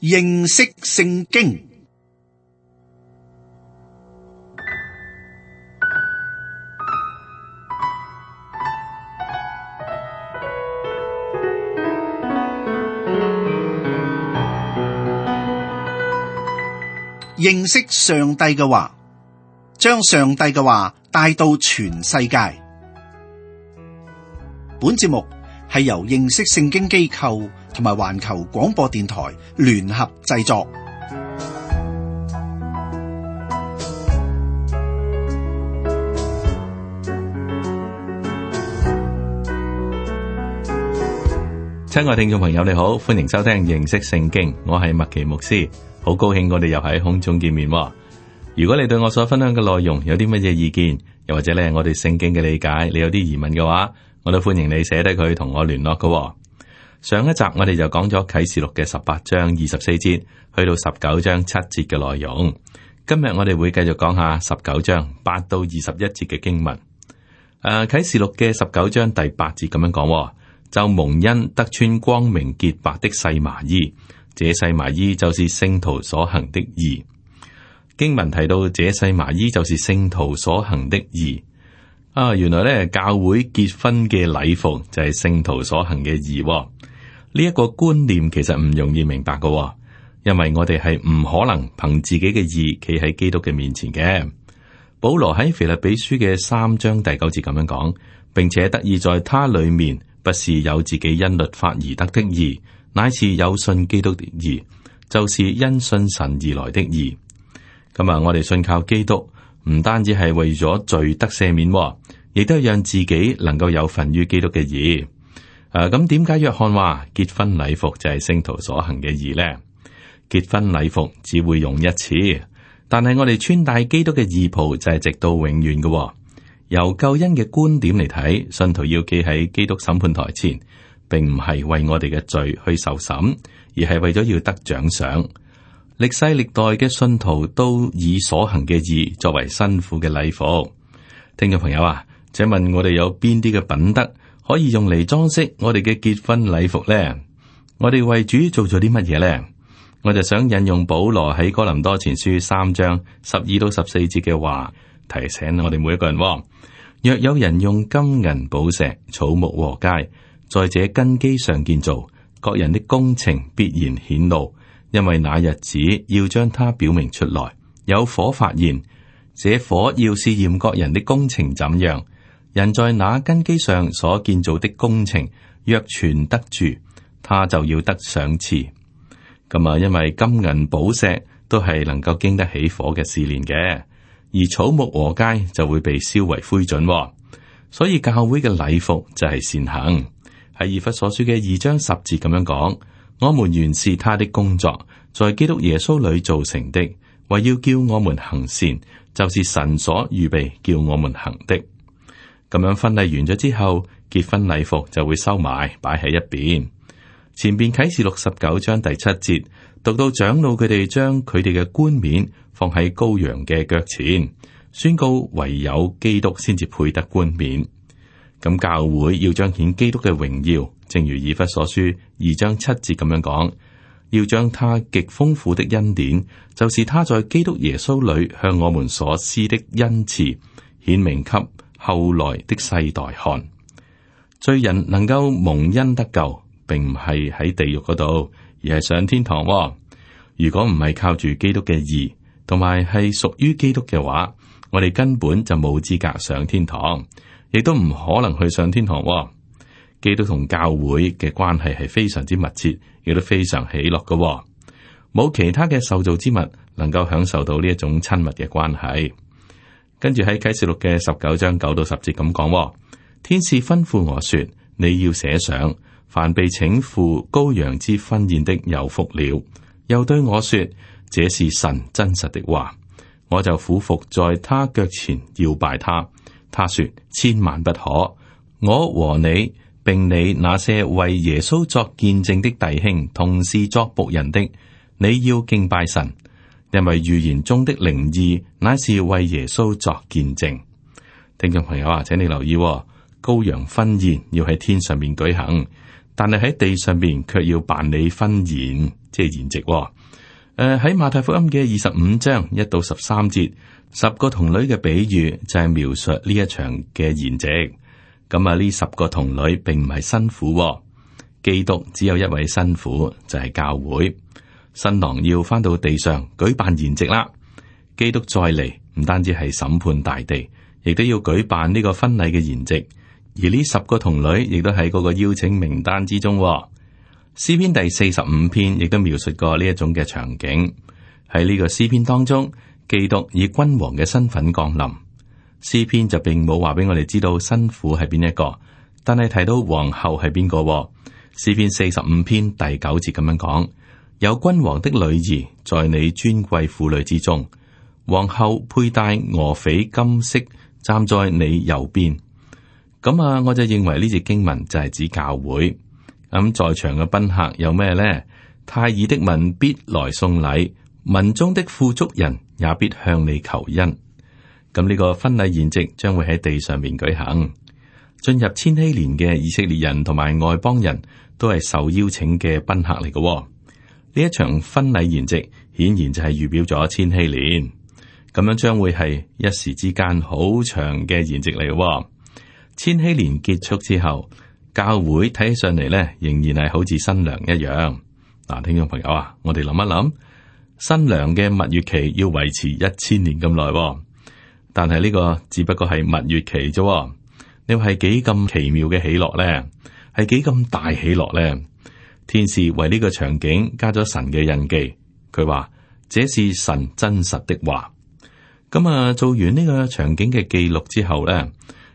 認識聖經。認識上帝嘅話，將上帝嘅話帶到全世界。本節目係由認識聖經機構同埋環球廣播電台聯合製作。親愛聽眾朋友，你好，歡迎收聽認識聖經，我係麥奇牧師，好高興我哋又喺空中見面。如果你對我所分享嘅內容有啲乜嘢意見，又或者咧我哋聖經嘅理解，你有啲疑問嘅話，我都歡迎你寫低佢同我聯絡嘅。上一集我哋就講咗啟示錄嘅18章24節去到19章7節嘅內容。今日我哋會繼續講下19章8到21節嘅經文。啟示錄嘅19章第8節咁樣講，就蒙恩得穿光明潔白的細麻衣，這細麻衣就是聖徒所行的義。經文提到這細麻衣就是聖徒所行的義。原來咧教會結婚嘅禮服就係聖徒所行嘅義。呢一個觀念其實唔容易明白嘅，因為我哋係唔可能憑自己嘅義企喺基督嘅面前嘅。保羅喺腓立比書嘅3章第9節咁樣講，並且得以在他裏面，不是有自己因律法而得的義，乃是有信基督的義，就是因信神而來的義。咁我哋信靠基督，唔單止係為咗罪得赦免，亦都係讓自己能夠有份於基督嘅義。咁點解約翰話結婚禮服就係聖徒所行嘅義呢？結婚禮服只會用一次，但係我哋穿戴基督嘅義袍就係直到永遠嘅。由救恩嘅觀點嚟睇，信徒要企喺基督審判台前，並唔係為我哋嘅罪去受審，而係為咗要得獎賞。歷世歷代嘅信徒都以所行嘅義作為新婦嘅禮服。聽眾朋友啊，請問我哋有邊啲嘅品德可以用嚟裝飾我哋嘅結婚禮服呢？我哋為主做咗啲乜嘢呢？我就想引用保羅喺哥林多前書3章12到14節嘅話，提醒我哋每一個人。若有人用金銀寶石、草木禾秸，在這根基上建造，各人的工程必然顯露，因為那日子要將它表明出來。有火發現，這火要試驗各人的工程怎樣。人在那根基上所建造的工程，若存得住，他就要得賞賜。咁因為金銀寶石都係能夠經得起火嘅試煉嘅，而草木禾秸就會被燒為灰燼。所以教會嘅禮服就係善行。喺以弗所書嘅2章10節咁樣講，我們原是他的工作，在基督耶穌裏造成的，為要叫我們行善，就是神所預備叫我們行的。咁樣婚禮完咗之後，結婚禮服就會收埋擺喺一邊。前邊啟示錄19章第7節讀到長老佢哋將佢哋嘅冠冕放喺羔羊嘅腳前，宣告唯有基督先至配得冠冕。咁教會要彰顯基督嘅榮耀，正如以弗所書2章7節咁樣講，要將他極豐富的恩典，就是他在基督耶穌裏向我們所施的恩賜，顯明給後來的世代看。罪人能夠蒙恩得救，並唔係喺地獄嗰度，而係上天堂。如果唔係靠住基督嘅義，同埋係屬於基督嘅話，我哋根本就冇資格上天堂，亦都唔可能去上天堂。基督同教會嘅關係係非常之密切，亦都非常喜樂嘅。冇其他嘅受造之物能夠享受到呢一種親密嘅關係。跟住喺啟示錄嘅19章9到10節咁講，天使吩咐我說，你要寫上，凡被請赴羔羊之婚宴的有福了。又對我說，這是神真實的話。我就俯伏在他腳前要拜他。他說，千萬不可。我和你並你那些為耶穌作見證的弟兄，同是作僕人的，你要敬拜神。因為預言中的靈意乃是為耶穌作見證。聽眾朋友啊，請你留意，羔羊婚宴要喺天上面舉行，但係喺地上面卻要辦理婚宴。即係筵席。喺馬太福音嘅25章1到13節，10個童女嘅比喻就係描述呢一場嘅筵席。咁啊，呢10個童女並唔係新婦，基督只有一位新婦，就係教會。新郎要翻到地上舉辦筵席啦。基督再嚟，唔單止係審判大地，亦都要舉辦呢個婚禮嘅筵席。而呢10個童女亦都喺嗰個邀請名單之中。詩篇第45篇亦都描述過呢一種嘅場景。喺呢個詩篇當中，基督以君王嘅身份降臨。詩篇就並冇話俾我哋知道新婦係邊一個，但係提到皇后係邊個。詩篇45篇第9節咁樣講：有君王的女兒在你尊貴婦女之中，皇后佩戴俄斐金飾，站在你右邊。咁啊，我就認為呢節經文就係指教會。咁在場嘅賓客有咩呢？泰爾的民必來送禮，民中的富足人也必向你求恩。咁呢個婚禮筵席將會喺地上面舉行。進入千禧年嘅以色列人同埋外邦人都係受邀請嘅賓客嚟嘅。呢一場婚禮筵席顯然就係預表咗千禧年。咁樣將會係一時之間好長嘅筵席嚟嘅。千禧年結束之後，教會睇起上嚟咧，仍然係好似新娘一樣。嗱，聽眾朋友啊，我哋諗一諗，新娘嘅蜜月期要維持1000年咁耐，但係呢個只不過係蜜月期啫。你話係幾咁奇妙嘅喜樂咧？係幾咁大喜樂咧？天使為呢個場景加咗神嘅印記，佢話這是神真實的話。咁啊，做完呢個場景嘅記錄之後咧。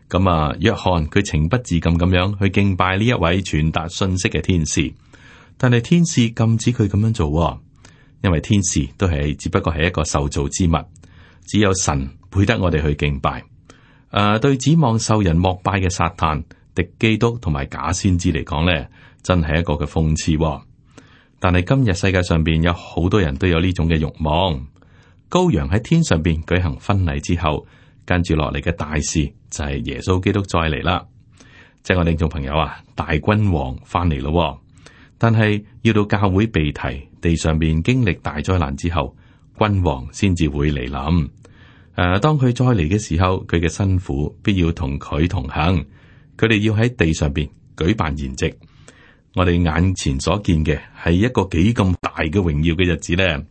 咁啊，約翰佢情不自禁咁樣去敬拜呢一位傳達信息嘅天使，但係天使禁止佢咁樣做，因為天使都係只不過係一個受造之物，只有神配得我哋去敬拜。對指望受人膜拜嘅撒旦、敵基督同埋假先知嚟講咧，真係一個嘅諷刺。但係今日世界上邊有好多人都有呢種嘅慾望。羔羊喺天上邊舉行婚禮之後，跟住落嚟嘅大事就係耶穌基督再嚟啦，即係我哋眾朋友啊，大君王翻嚟咯。但係要到教會被提，地上邊經歷大災難之後，君王先至會嚟臨。當佢再嚟嘅時候，佢嘅新婦必要同佢同行，佢哋要喺地上邊舉辦筵席。我哋眼前所見嘅係一個幾咁大嘅榮耀嘅日子咧。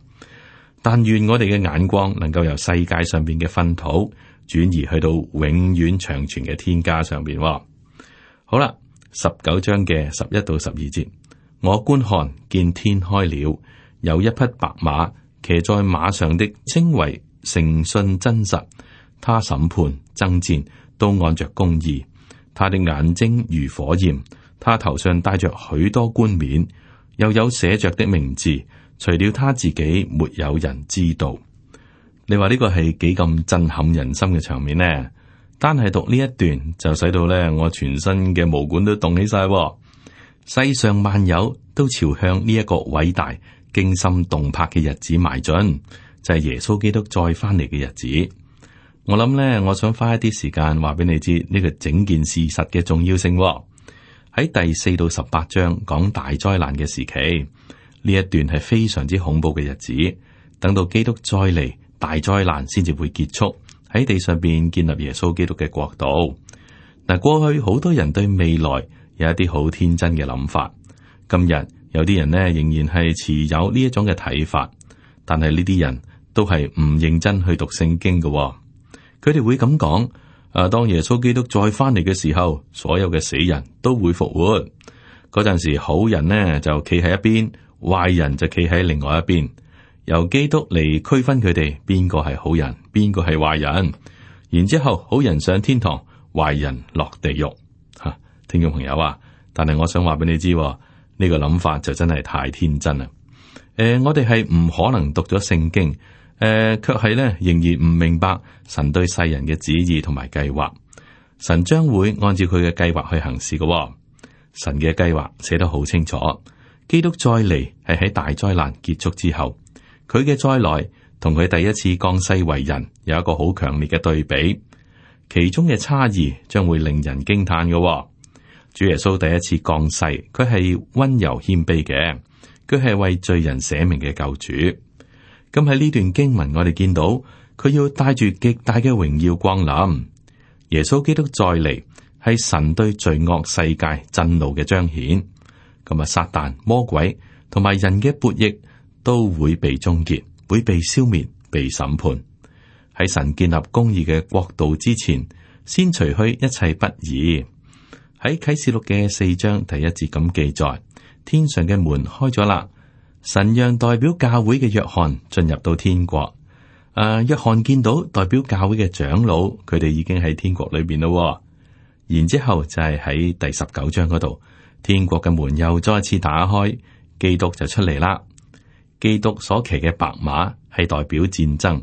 但願我哋嘅眼光能夠由世界上邊嘅糞土轉移去到永遠長存嘅天家上邊。好啦，19章嘅11到12節，我觀看見天開了，有一匹白馬，騎在馬上的稱為誠信真實，他審判爭戰都按着公義，他的眼睛如火焰，他頭上戴着許多冠冕，又有寫着的名字，除了他自己沒有人知道。你話呢個係幾咁震撼人心嘅場面呢？單係讀呢一段就使到咧我全身嘅毛管都動起晒。世上萬有都朝向呢一個偉大驚心動魄嘅日子邁進，就係耶穌基督再翻嚟嘅日子。我諗咧，我想花一啲時間話俾你知呢個整件事實嘅重要性。喺第4到18章講大災難嘅時期，呢一段係非常之恐怖嘅日子。等到基督再嚟，大災難先至會結束，喺地上邊建立耶穌基督嘅國度。嗱，過去好多人對未來有一啲好天真嘅諗法，今日有啲人呢仍然係持有呢一種嘅睇法，但係呢啲人都係唔認真去讀聖經嘅。佢哋會咁講：當耶穌基督再翻嚟嘅時候，所有嘅死人都會復活。嗰陣時，好人呢就企喺一邊，壞人就企喺另外一邊。由基督嚟區分佢哋邊個係好人，邊個係壞人。然之後，好人上天堂，壞人落地獄。吓，聽眾朋友啊，但係我想話俾你知，呢個諗法就真係太天真啦。我哋係唔可能讀咗聖經，卻係咧仍然唔明白神對世人嘅旨意同埋計劃。神將會按照佢嘅計劃去行事嘅。神嘅計劃寫得好清楚，基督再嚟係喺大災難結束之後。佢嘅再來同佢第一次降世為人有一個好強烈嘅對比，其中嘅差異將會令人驚嘆嘅。主耶穌第一次降世，佢係溫柔謙卑嘅，佢係為罪人捨命嘅救主。咁喺呢段經文，我哋見到佢要帶住極大嘅榮耀光臨。耶穌基督再嚟，係神對罪惡世界震怒嘅彰顯。咁啊，撒旦、魔鬼同埋人嘅悖逆都會被終結，會被消滅、被審判。喺神建立公義嘅國度之前，先除去一切不義。喺啟示錄嘅4章第1節咁記載，天上嘅門開咗啦，神讓代表教會嘅約翰進入到天國。約翰見到代表教會嘅長老，佢哋已經喺天國裏邊咯。然之後就係喺第19章嗰度，天國嘅門又再次打開，基督就出嚟啦。基督所騎嘅白馬係代表戰爭。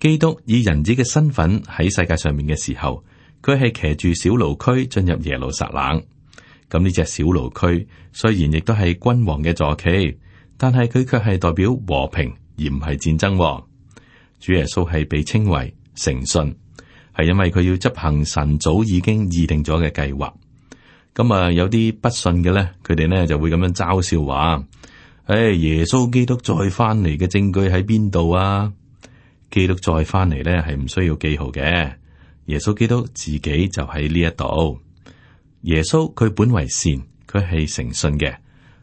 基督以人子嘅身份喺世界上面嘅時候，佢係騎住小驢駒進入耶路撒冷。咁呢隻小驢駒雖然亦都係君王嘅坐騎，但係佢卻係代表和平而唔係戰爭。主耶穌係被稱為誠信，係因為佢要執行神早已經擬定咗嘅計劃。咁啊，有啲不信嘅咧，佢哋呢就會咁樣嘲笑話：耶穌基督再翻嚟嘅證據喺邊度啊？基督再翻嚟咧係唔需要記號嘅，耶穌基督自己就喺呢一度。耶穌佢本為善，佢係誠信嘅，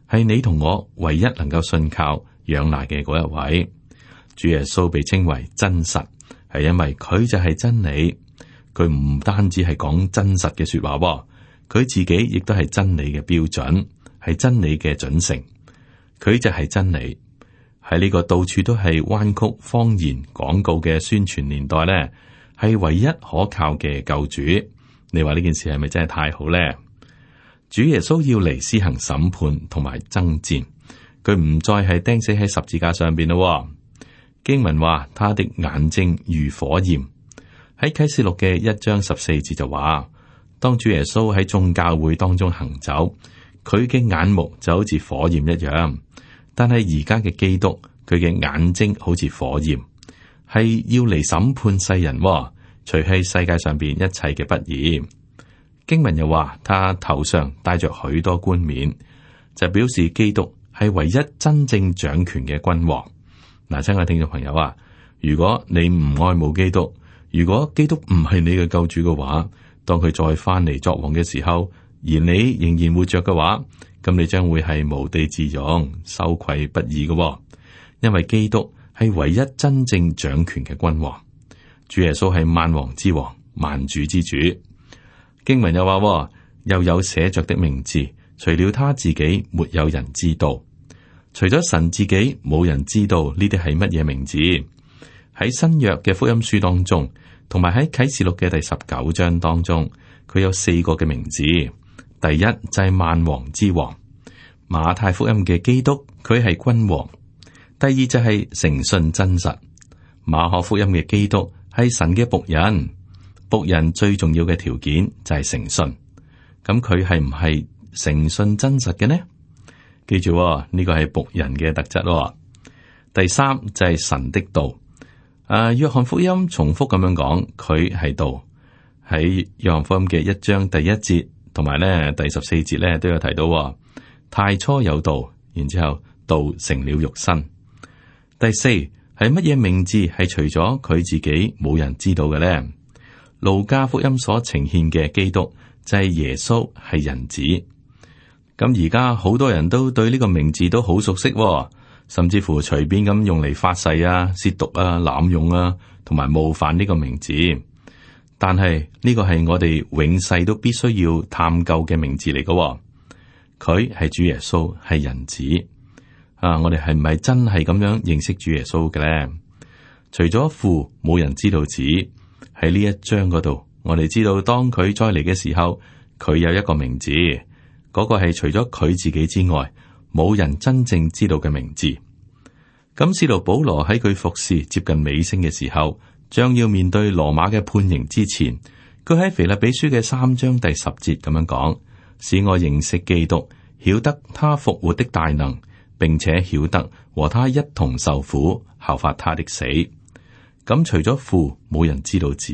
係你同我唯一能夠信靠仰賴嘅嗰一位。主耶穌被稱為真實，係因為佢就係真理。佢唔單止係講真實嘅說話，佢自己亦都係真理嘅標準，係真理嘅準繩。佢就係真理。喺呢個到處都係彎曲謊言廣告嘅宣傳年代呢，係唯一可靠嘅救主。你話呢件事係咪真係太好呢？主耶穌要嚟施行審判同埋爭戰，佢唔再係釘死喺十字架上邊咯。經文話他的眼睛如火焰。喺啟示錄嘅1章14節就話，當主耶穌喺眾教會當中行走，佢嘅眼目就好似火焰一樣。但係而家嘅基督，佢嘅眼睛好似火焰，係要嚟審判世人，除去世界上邊一切嘅不義。經文又話，他頭上戴着許多冠冕，就表示基督係唯一真正掌權嘅君王。嗱，親愛聽眾朋友啊，如果你唔愛慕基督，如果基督唔係你嘅救主嘅話，當佢再翻嚟作王嘅時候，而你仍然活着嘅話，咁你將會係無地自容、羞愧不已嘅。因為基督係唯一真正掌權嘅君王，主耶穌係萬王之王、萬主之主。經文又話，又有寫着的名字，除了他自己，沒有人知道。除咗神自己，冇人知道呢啲係乜嘢名字。喺新約嘅福音書當中，同埋喺啟示錄嘅第19章當中，佢有4個嘅名字。第一就係萬王之王，馬太福音嘅基督，佢係君王。第二就係誠信真實，馬可福音嘅基督係神嘅僕人。僕人最重要嘅條件就係誠信。咁佢係唔係誠信真實嘅呢？記住呢個係僕人嘅特質。第三就係神的道。約翰福音重複咁樣講，佢係道。喺約翰福音嘅1章第1節同埋咧第14節咧都有提到，太初有道，然之後道成了肉身。第四係乜嘢名字係除咗佢自己冇人知道嘅咧？路加福音所呈現嘅基督就係耶穌，係人子。咁而家好多人都對呢個名字都好熟悉，甚至乎隨便咁用嚟發誓啊、褻瀆啊、濫用啊，同埋冒犯呢個名字。但係呢個係我哋永世都必須要探究嘅名字嚟嘅。佢係主耶穌，係人子。我哋係唔係真係咁樣認識主耶穌嘅咧？除咗父，冇人知道子。喺呢一章嗰度，我哋知道當佢再嚟嘅時候，佢有一個名字，嗰個係除咗佢自己之外，冇人真正知道嘅名字。咁使徒保羅喺佢服侍接近尾聲嘅時候，將要面對羅馬嘅判刑之前，佢喺腓立比書嘅3章第10節咁樣講：使我認識基督，曉得他復活的大能，並且曉得和他一同受苦，效法他的死。咁除咗父，冇人知道子。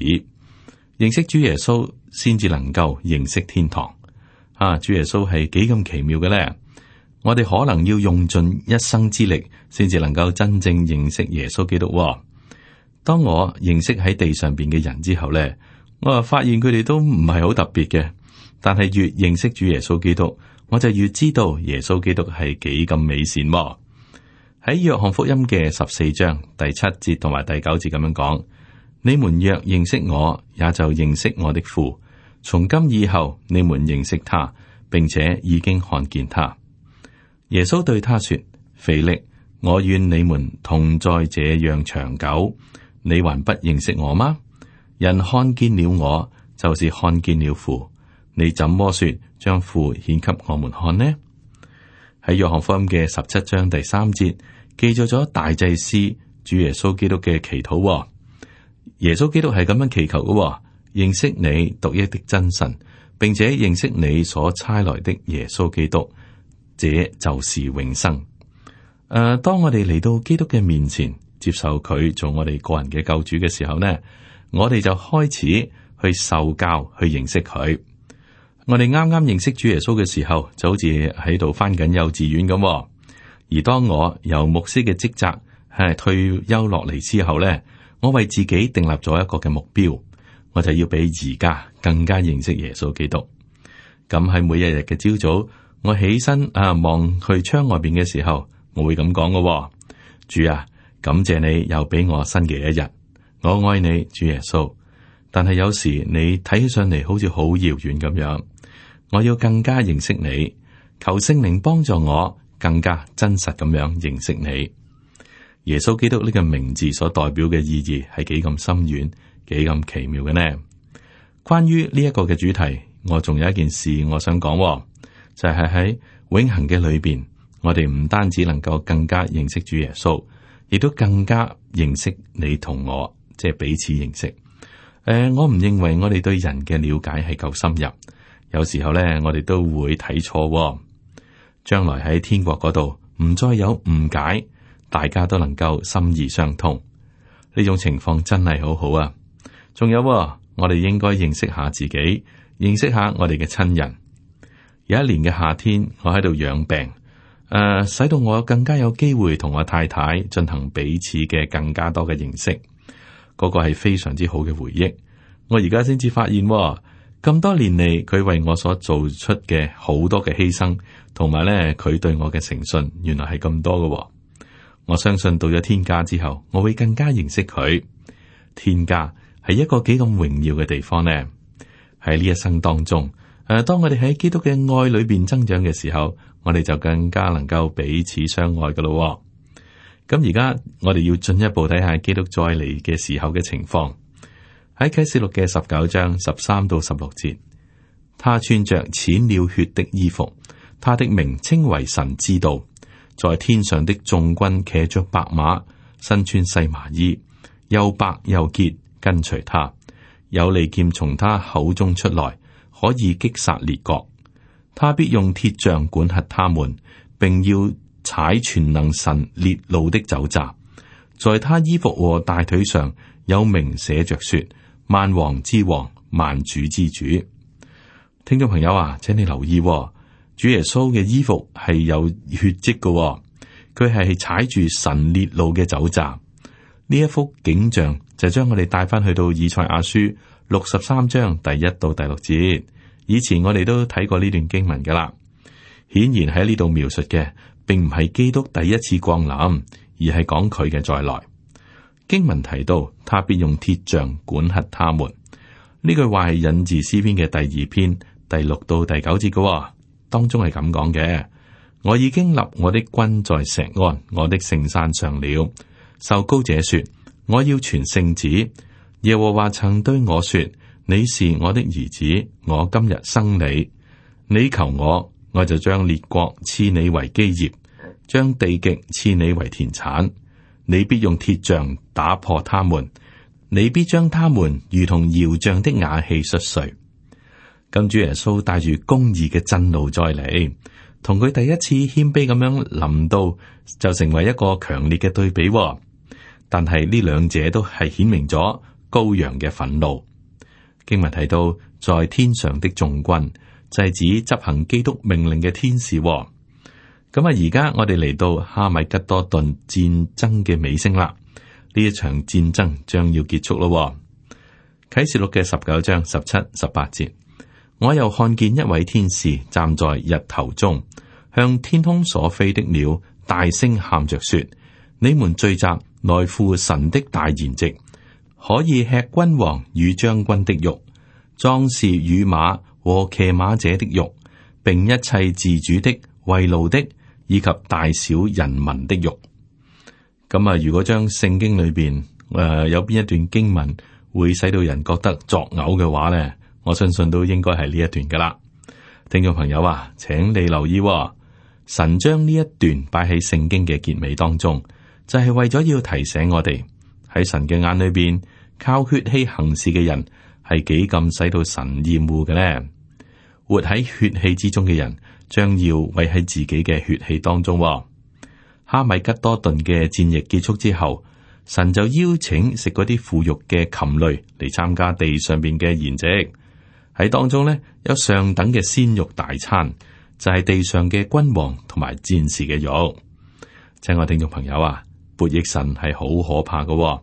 認識主耶穌先至能夠認識天堂。主耶穌係幾咁奇妙嘅咧？我哋可能要用盡一生之力，先至能夠真正認識耶穌基督。當我認識喺地上邊嘅人之後呢，我就發現佢哋都唔係好特別嘅。但係越認識主耶穌基督，我就越知道耶穌基督係幾咁美善。喺約翰福音嘅14章第7節同埋第9節咁樣講：你們若認識我，也就認識我的父。從今以後，你們認識他，並且已經看見他。耶穌對他說：腓力，我願你們同在這樣長久，你還不認識我嗎？人看見了我，就是看見了父。你怎麼說將父顯給我們看呢？喺約翰福音嘅17章第3節記載咗大祭司主耶穌基督嘅祈禱。耶穌基督係咁樣祈求嘅：認識你獨一的真神，並且認識你所差來的耶穌基督。這就是永生。當我哋嚟到基督嘅面前，接受佢做我哋個人嘅救主嘅時候呢，我哋就開始去受教，去認識佢。我哋啱啱認識主耶穌嘅時候，就好似喺度返緊幼稚園咁。而當我由牧師嘅職責係退休落嚟之後呢，我為自己訂立咗一個嘅目標，我就要比而家更加認識耶穌基督。咁喺每一日嘅朝早，我起身望去窗外邊嘅時候，我會咁講嘅：主啊，感謝你又俾我新嘅一日，我愛你，主耶穌。但係有時你睇起上嚟好似好遙遠咁樣，我要更加認識你，求聖靈幫助我更加真實咁樣認識你。耶穌基督呢個名字所代表嘅意義係幾咁深遠，幾咁奇妙嘅呢？關於呢一個嘅主題，我仲有一件事我想講。就係喺永恆嘅裏邊，我哋唔單止能夠更加認識主耶穌，亦都更加認識你同我，即係彼此認識。我唔認為我哋對人嘅了解係夠深入，有時候咧，我哋都會睇錯。將來喺天國嗰度，唔再有誤解，大家都能夠心意相通，呢種情況真係好好啊！仲有，我哋應該認識下自己，認識下我哋嘅親人。有一年嘅夏天，我喺度養病，使到我更加有機會同我太太進行彼此嘅更加多嘅認識，嗰個係非常之好嘅回憶。我而家先至發現，咁多年嚟佢為我所做出嘅好多嘅犧牲，同埋咧佢對我嘅誠信，原來係咁多嘅。我相信到咗天家之後，我會更加認識佢。天家係一個幾咁榮耀嘅地方呢？喺呢一生當中。當我哋喺基督嘅愛裏邊增長嘅時候，我哋就更加能夠彼此相愛噶咯。咁而家我哋要進一步睇下基督再嚟嘅時候嘅情況。喺啟示錄嘅19章13到16節，他穿着濺了血的衣服，他的名稱為神之道，在天上的眾軍騎着白馬，身穿細麻衣，又白又潔，跟隨他，有利劍從他口中出來，可以擊殺列國，他必用鐵杖管轄他們，並要踩全能神烈怒的酒醡。在他衣服和大腿上有名寫着說：萬王之王，萬主之主。聽眾朋友啊，請你留意，主耶穌嘅衣服係有血跡嘅，佢係踩住神烈怒嘅酒醡。呢一幅景象就將我哋帶翻去到以賽亞書63章第1到第6節，以前我哋都睇過呢段經文噶啦。顯然喺呢度描述嘅，並唔係基督第一次降臨，而係講佢嘅再來。經文提到，他必用鐵杖管轄他們。呢句話係引自詩篇嘅第2篇第6到第9節嘅，當中係咁講嘅：我已經立我的君在錫安，我的聖山上了。受膏者說：我要傳聖旨。耶和華曾對我說：你是我的兒子，我今日生你。你求我，我就將列國賜你為基業，將地極賜你為田產。你必用鐵杖打破他們，你必將他們如同窯匠的瓦器摔碎。咁主耶穌帶住公義嘅震怒再嚟，同佢第一次謙卑咁樣臨到，就成為一個強烈嘅對比。但係呢兩者都係顯明咗羔羊嘅憤怒。經文提到，在天上的眾軍就係指執行基督命令嘅天使。咁啊，而家我哋嚟到哈米吉多頓戰爭嘅尾聲啦，呢一場戰爭將要結束咯。啟示錄嘅19章17、18節，我又看見一位天使站在日頭中，向天空所飛的鳥大聲喊着說：你們聚集來赴神的大筵席，可以吃君王與將軍的肉，壯士與馬和騎馬者的肉，並一切自主的、為奴的，以及大小人民的肉。咁啊，如果將聖經裏邊有邊一段經文會使到人覺得作嘔嘅話呢，我相信都應該係呢一段噶啦。聽眾朋友啊，請你留意，神將呢一段擺喺聖經嘅結尾當中，就係為咗要提醒我哋喺神嘅眼裏邊，靠血氣行事嘅人係幾咁使到神厭惡嘅呢？活喺血氣之中嘅人，將要為喺自己嘅血氣當中。哈米吉多頓嘅戰役結束之後，神就邀請食嗰啲腐肉嘅禽類嚟參加地上邊嘅筵席。喺當中呢，有上等嘅鮮肉大餐，就係地上嘅君王同埋戰士嘅肉。親愛聽眾朋友啊，悖逆神係好可怕嘅，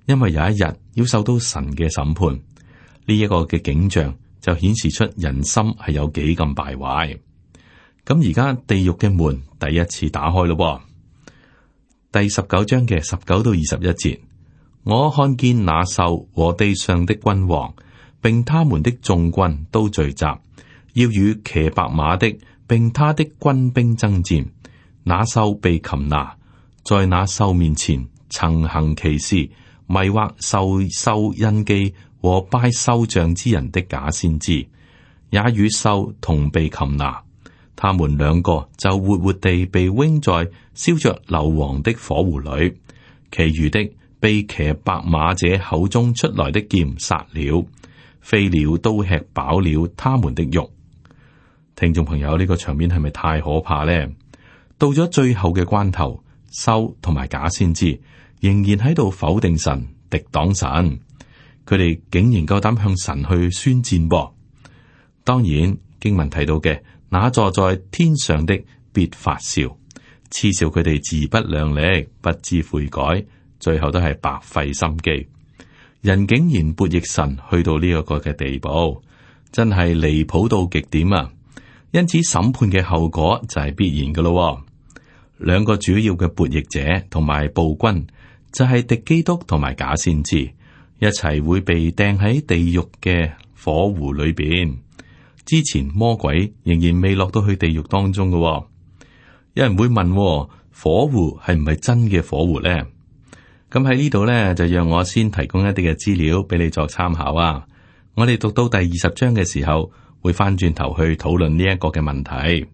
因為有一日要受到神嘅審判。呢一個嘅景象就顯示出人心係有幾咁敗壞。咁而家地獄嘅門第一次打開咯。第19章嘅19到21節，我看見那獸和地上的君王，並他們的眾軍都聚集，要與騎白馬的並他的軍兵爭戰。那獸被擒拿，在那獸面前曾行奇事，迷惑受獸印記和拜獸像之人的假先知，也與獸同被擒拿。他們兩個就活活地被扔在燒着硫磺的火湖裏，其餘的被騎白馬者口中出來的劍殺了，飛鳥都吃飽了他們的肉。聽眾朋友，呢個場面係咪太可怕呢？到咗最後嘅關頭，獸同埋假先知仍然喺度否定神、敵擋神，佢哋竟然夠膽向神去宣戰噃。當然經文提到嘅，那坐在天上的必發笑，嗤笑佢哋自不量力，不知悔改，最後都係白費心機。人竟然悖逆神，去到呢一個嘅地步，真係離譜到極點啊！因此審判嘅後果就係必然噶咯。兩個主要嘅悖逆者同埋暴君，就係敵基督同埋假先知，一齊會被掟喺地獄嘅火湖裏邊。之前魔鬼仍然未落到去地獄當中嘅。有人會問，火湖係唔係真嘅火湖呢？咁喺呢度呢，就讓我先提供一啲嘅資料俾你作參考啊。我哋讀到第20章嘅時候，會翻轉頭去討論呢一個嘅問題。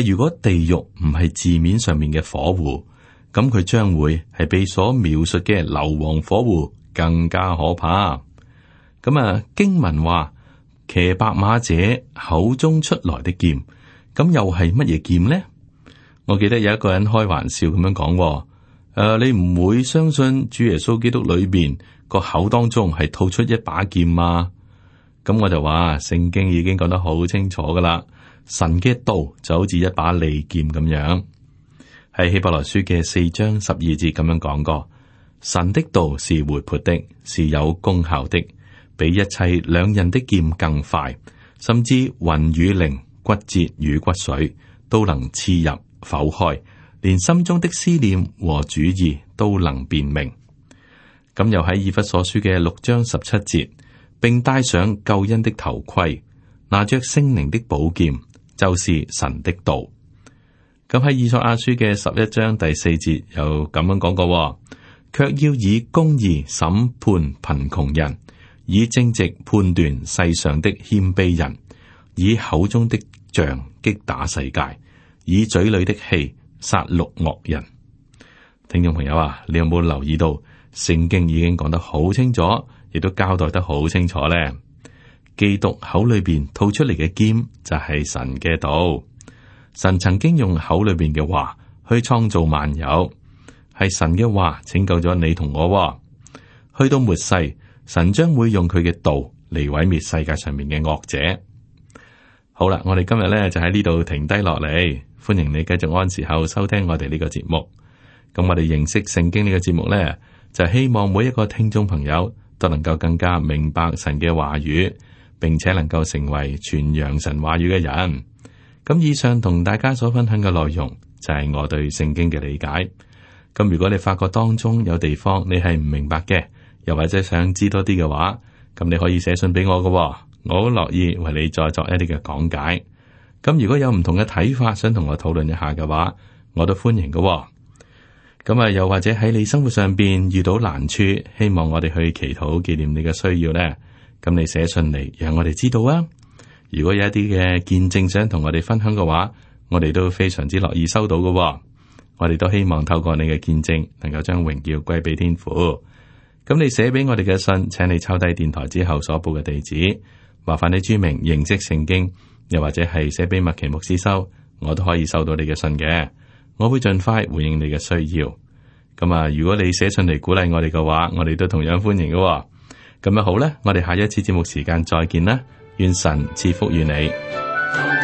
如果地獄唔係字面上面嘅火湖，咁佢將會係比所描述嘅硫磺火湖更加可怕。咁啊，經文話騎白馬者口中出來的劍，咁又係乜嘢劍呢？我記得有一個人開玩笑咁樣講，你唔會相信主耶穌基督裏邊個口當中係吐出一把劍嗎？咁我就話聖經已經講得好清楚噶啦，神嘅道就好似一把利劍咁樣。喺希伯來書嘅4章12節咁樣講過，神的道是活潑的，是有功效的，比一切兩刃的劍更快，甚至魂與靈、骨節與骨髓都能刺入剖開，連心中的思念和主意都能辨明。咁又喺以弗所書嘅6章17節，並戴上救恩的頭盔，拿着聖靈的寶劍，就是神的道。咁喺以賽亞書嘅11章第4節又咁樣講過，卻要以公義審判貧窮人，以正直判斷世上的謙卑人，以口中的杖擊打世界，以嘴裏的氣殺戮惡人。聽眾朋友啊，你有冇留意到聖經已經講得好清楚，亦都交代得好清楚呢？基督口裏邊吐出嚟嘅劍就係神嘅道。神曾經用口裏邊嘅話去創造萬有，係神嘅話拯救咗你同我。去到末世，神將會用佢嘅道嚟毀滅世界上面嘅惡者。好啦，我哋今日咧就喺呢度停低落嚟。歡迎你繼續按時候收聽我哋呢個節目。咁我哋認識聖經呢個節目呢，就希望每一個聽眾朋友都能夠更加明白神嘅話語，並且能夠成為傳揚神話語嘅人。咁以上同大家所分享嘅內容就係我對聖經嘅理解。咁如果你發覺當中有地方你係唔明白嘅，又或者想知多啲嘅話，咁你可以寫信俾我嘅，我好樂意為你再作一啲嘅講解。咁如果有唔同嘅睇法，想同我討論一下嘅話，我都歡迎嘅。咁啊，又或者喺你生活上邊遇到難處，希望我哋去祈禱紀念你嘅需要呢？咁你寫信嚟，讓我哋知道啊。如果有一啲嘅見證想同我哋分享嘅話，我哋都非常之樂意收到嘅。我哋都希望透過你嘅見證，能夠將榮耀歸俾天父。咁你寫俾我哋嘅信，請你抄低電台之後所報嘅地址，麻煩你注明認識聖經，又或者係寫俾麥奇牧師收，我都可以收到你嘅信嘅。我會盡快回應你嘅需要。咁啊，如果你寫信嚟鼓勵我哋嘅話，我哋都同樣歡迎嘅。咁啊好啦，我哋下一次節目時間再見啦，願神賜福於你。